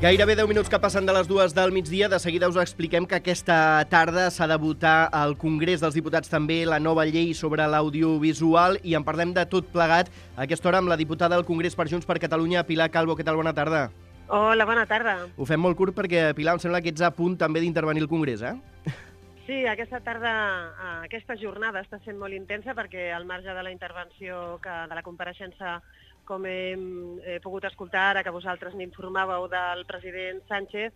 Gairebé 10 minuts que passen de les 2 del migdia. De seguida us expliquem que aquesta tarda s'ha de votar al Congrés dels Diputats també la nova llei sobre l'audiovisual i en parlem de tot plegat a aquesta hora amb la diputada del Congrés per Junts per Catalunya, Pilar Calvo. Què tal? Bona tarda. Hola, bona tarda. Ho fem molt curt perquè, Pilar, em sembla que ets a punt també d'intervenir al Congrés, eh? Sí, aquesta tarda, aquesta jornada està sent molt intensa perquè al marge de la intervenció, de la compareixença, com hem pogut escoltar ara, que vosaltres n'informàveu del president Sánchez,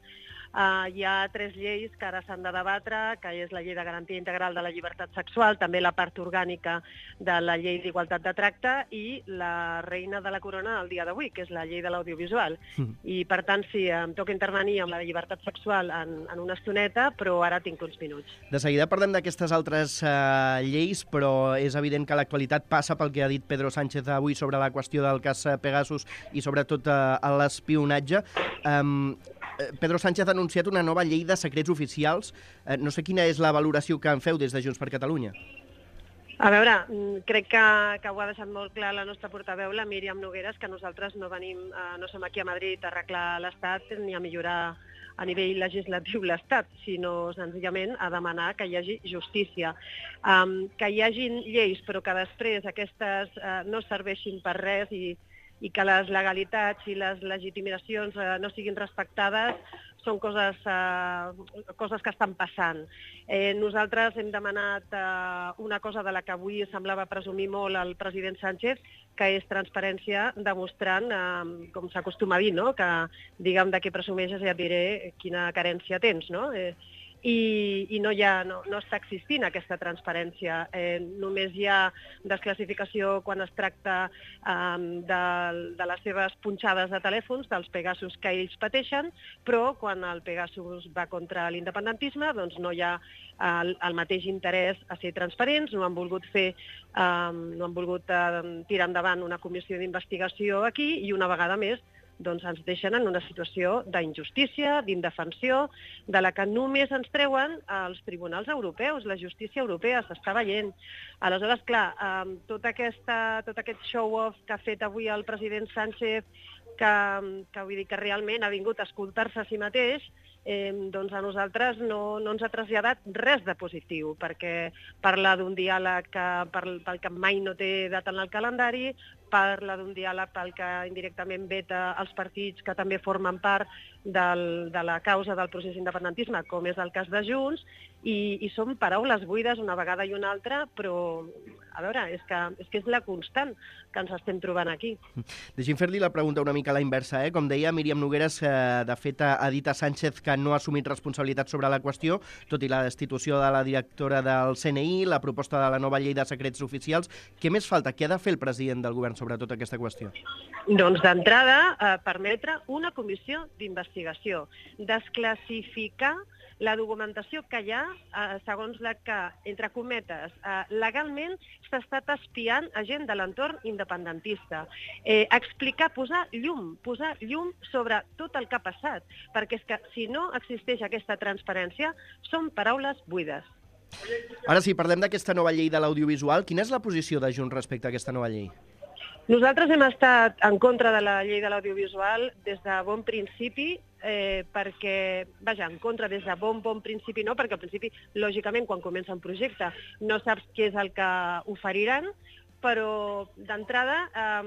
hi ha 3 lleis que ara s'han de debatre, que és la llei de garantia integral de la llibertat sexual, també la part orgànica de la llei d'igualtat de tracte i la reina de la corona del dia d'avui, que és la llei de l'audiovisual. I, per tant, sí, em toca intervenir amb la llibertat sexual en una estoneta, però ara tinc uns minuts. De seguida parlem d'aquestes altres lleis, però és evident que l'actualitat passa pel que ha dit Pedro Sánchez avui sobre la qüestió del cas Pegasus i sobretot l'espionatge. Pedro Sánchez ha anunciat una nova llei de secrets oficials. No sé quina és la valoració que en feu des de Junts per Catalunya. A veure, crec que ho ha deixat molt clar la nostra portaveu, la Míriam Nogueras, que nosaltres no som aquí a Madrid a arreglar l'Estat ni a millorar a nivell legislatiu l'Estat, sinó senzillament a demanar que hi hagi justícia. Que hi hagin lleis però que després aquestes no serveixin per res i que les legalitats i les legitimacions no siguin respectades són coses que estan passant. Nosaltres hem demanat una cosa de la que avui semblava presumir molt el president Sánchez, que és transparència, demostrant, com s'acostuma a dir, no? Que digue'm de què presumeixes i et diré quina carència tens, no? I no està existint aquesta transparència. Només hi ha desclassificació quan es tracta de les seves punxades de telèfons, dels Pegasus que ells pateixen, però quan el Pegasus va contra l'independentisme doncs no hi ha el mateix interès a ser transparents, no han volgut tirar endavant una comissió d'investigació aquí i una vegada més doncs ens deixen en una situació d'injustícia, d'indefensió, de la que només ens treuen els tribunals europeus, la justícia europea, s'està veient. Aleshores, clar, tot aquest show-off que ha fet avui el president Sánchez, que vull dir que realment ha vingut a escoltar-se a si mateix, doncs a nosaltres no ens ha traslladat res de positiu, perquè parla d'un diàleg pel que mai no té data en el calendari, parla d'un diàleg pel que indirectament veta els partits que també formen part de la causa del procés d'independentisme, com és el cas de Junts, i són paraules buides una vegada i una altra, però, a veure, és que és la constant que ens estem trobant aquí. Deixi'm fer-li la pregunta una mica a la inversa. Com deia, Míriam Nogueras, de fet, ha dit a Sánchez que no ha assumit responsabilitat sobre la qüestió, tot i la destitució de la directora del CNI, la proposta de la nova llei de secrets oficials. Què més falta? Què ha de fer el president del govern sobre tota aquesta qüestió? Doncs d'entrada, permetre una comissió d'investigació, desclassificar la documentació que hi ha, segons la que, entre cometes, legalment s'ha estat espiant a gent de l'entorn independentista. Explicar, posar llum sobre tot el que ha passat, perquè és que si no existeix aquesta transparència, són paraules buides. Ara sí, parlem d'aquesta nova llei de l'audiovisual. Quina és la posició de Junts respecte a aquesta nova llei? Nosaltres hem estat en contra de la llei de l'audiovisual des de bon principi, perquè, en contra des de bon principi no, perquè al principi, lògicament, quan comença un projecte no saps què és el que oferiran, però d'entrada a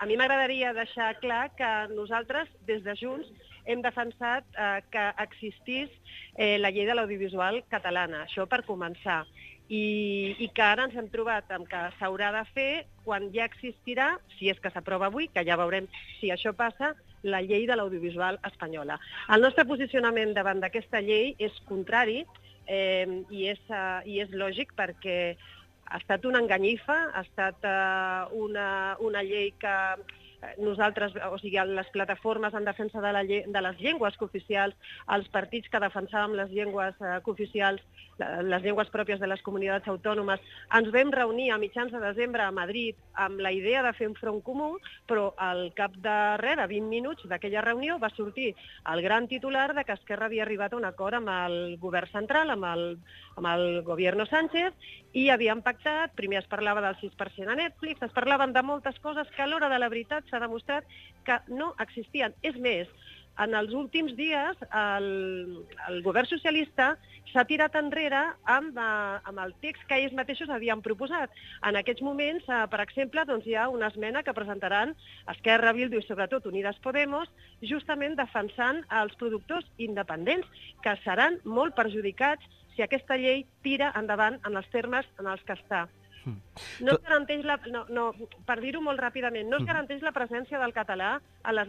mi m'agradaria deixar clar que nosaltres, des de Junts, hem defensat que existís la llei de l'audiovisual catalana, això per començar. I que ara ens hem trobat amb que s'haurà de fer quan ja existirà, si és que s'aprova avui, que ja veurem si això passa, la llei de l'audiovisual espanyola. El nostre posicionament davant d'aquesta llei és contrari i és lògic perquè ha estat una enganyifa, ha estat una llei que nosaltres, o sigui, les plataformes en defensa de les llengües cooficials, els partits que defensàvem les llengües cooficials, les llengües pròpies de les comunitats autònomes, ens vam reunir a mitjans de desembre a Madrid amb la idea de fer un front comú, però al cap de 20 minuts d'aquella reunió va sortir el gran titular de que Esquerra havia arribat a un acord amb el govern central, amb el Gobierno Sánchez, i havien pactat, primer es parlava del 6% a Netflix, es parlaven de moltes coses que a l'hora de la veritat s'ha demostrat que no existien. És més, En els últims dies, el govern socialista s'ha tirat enrere amb el text que ells mateixos havien proposat. En aquests moments, per exemple, doncs hi ha una esmena que presentaran Esquerra, Bildu i sobretot Unides Podemos, justament defensant els productors independents, que seran molt perjudicats si aquesta llei tira endavant en els termes en els que està. No es garanteix per dir-ho molt ràpidament, no es garanteix la presència del català a les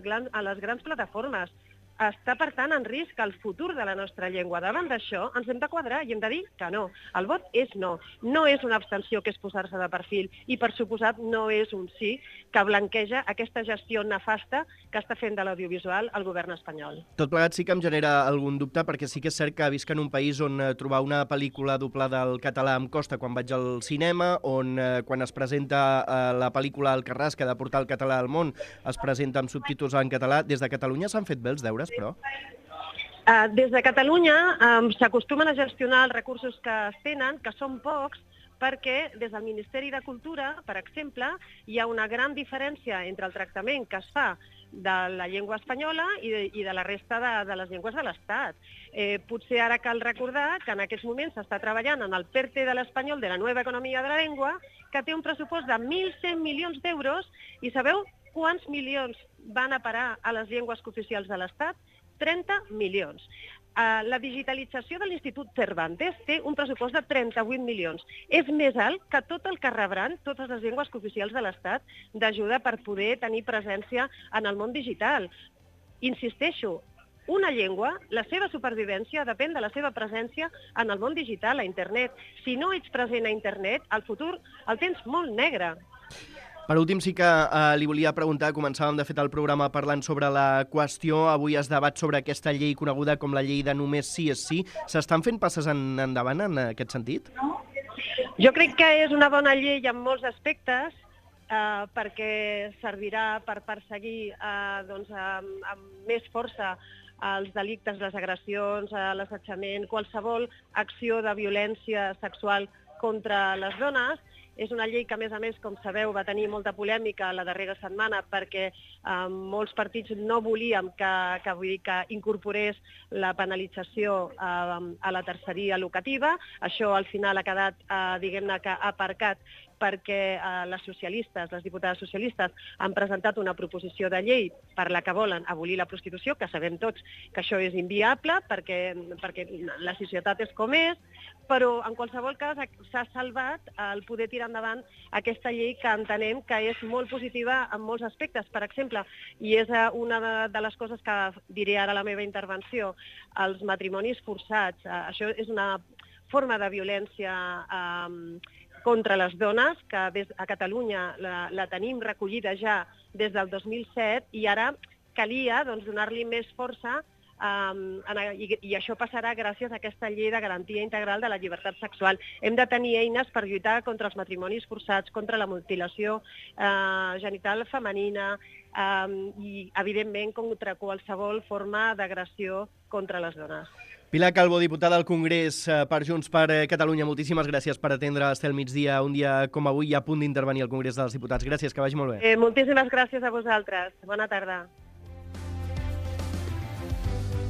grans plataformes. Està, per tant, en risc el futur de la nostra llengua. Davant d'això ens hem de quadrar i hem de dir que no. El vot és no. No és una abstenció que és posar-se de perfil i, per suposat, no és un sí que blanqueja aquesta gestió nefasta que està fent de l'audiovisual el govern espanyol. Tot plegat sí que em genera algun dubte, perquè sí que és cert que visc en un país on trobar una pel·lícula doblada al català em costa quan vaig al cinema, on quan es presenta la pel·lícula Alcarràs, que ha de portar el català al món, es presenta amb subtítols en català. Des de Catalunya s'han fet bé els deures, però? Des de Catalunya s'acostumen a gestionar els recursos que es tenen, que són pocs, perquè des del Ministeri de Cultura, per exemple, hi ha una gran diferència entre el tractament que es fa de la llengua espanyola i de la resta de les llengües de l'Estat. Potser ara cal recordar que en aquests moments s'està treballant en el PERTE de l'espanyol, de la nova economia de la llengua, que té un pressupost de 1.100 milions d'euros, i sabeu quants milions van a parar a les llengües cooficials de l'Estat? 30 milions. La digitalització de l'Institut Cervantes té un pressupost de 38 milions. És més alt que tot el que rebran totes les llengües cooficials de l'Estat d'ajuda per poder tenir presència en el món digital. Insisteixo, una llengua, la seva supervivència depèn de la seva presència en el món digital, a internet. Si no ets present a internet, el futur el tens molt negre. Per últim, sí que li volia preguntar, començàvem de fet el programa parlant sobre la qüestió, avui es debat sobre aquesta llei coneguda com la llei de només sí és sí. S'estan fent passes endavant en aquest sentit? Jo crec que és una bona llei en molts aspectes, perquè servirà per perseguir amb més força els delictes, les agressions, l'assetjament, qualsevol acció de violència sexual contra les dones. És una llei que, a més, com sabeu, va tenir molta polèmica la darrera setmana perquè molts partits no volíem que incorporés la penalització a la terceria locativa. Això al final ha quedat, diguem-ne, que aparcat perquè les diputades socialistes han presentat una proposició de llei per la que volen abolir la prostitució, que sabem tots que això és inviable perquè la societat és com és, però en qualsevol cas s'ha salvat el poder tirar endavant aquesta llei que entenem que és molt positiva en molts aspectes. Per exemple, i és una de les coses que diré ara a la meva intervenció, els matrimonis forçats. Això és una forma de violència contra les dones, que a Catalunya la tenim recollida ja des del 2007 i ara calia donar-li més força i això passarà gràcies a aquesta llei de garantia integral de la llibertat sexual. Hem de tenir eines per lluitar contra els matrimonis forçats, contra la mutilació genital femenina i, evidentment, contra qualsevol forma d'agressió contra les dones. Pilar Calvo, diputada al Congrés per Junts per Catalunya, moltíssimes gràcies per atendre Estel Migdia un dia com avui i a punt d'intervenir al Congrés dels Diputats. Gràcies, que vagi molt bé. Moltíssimes gràcies a vosaltres. Bona tarda.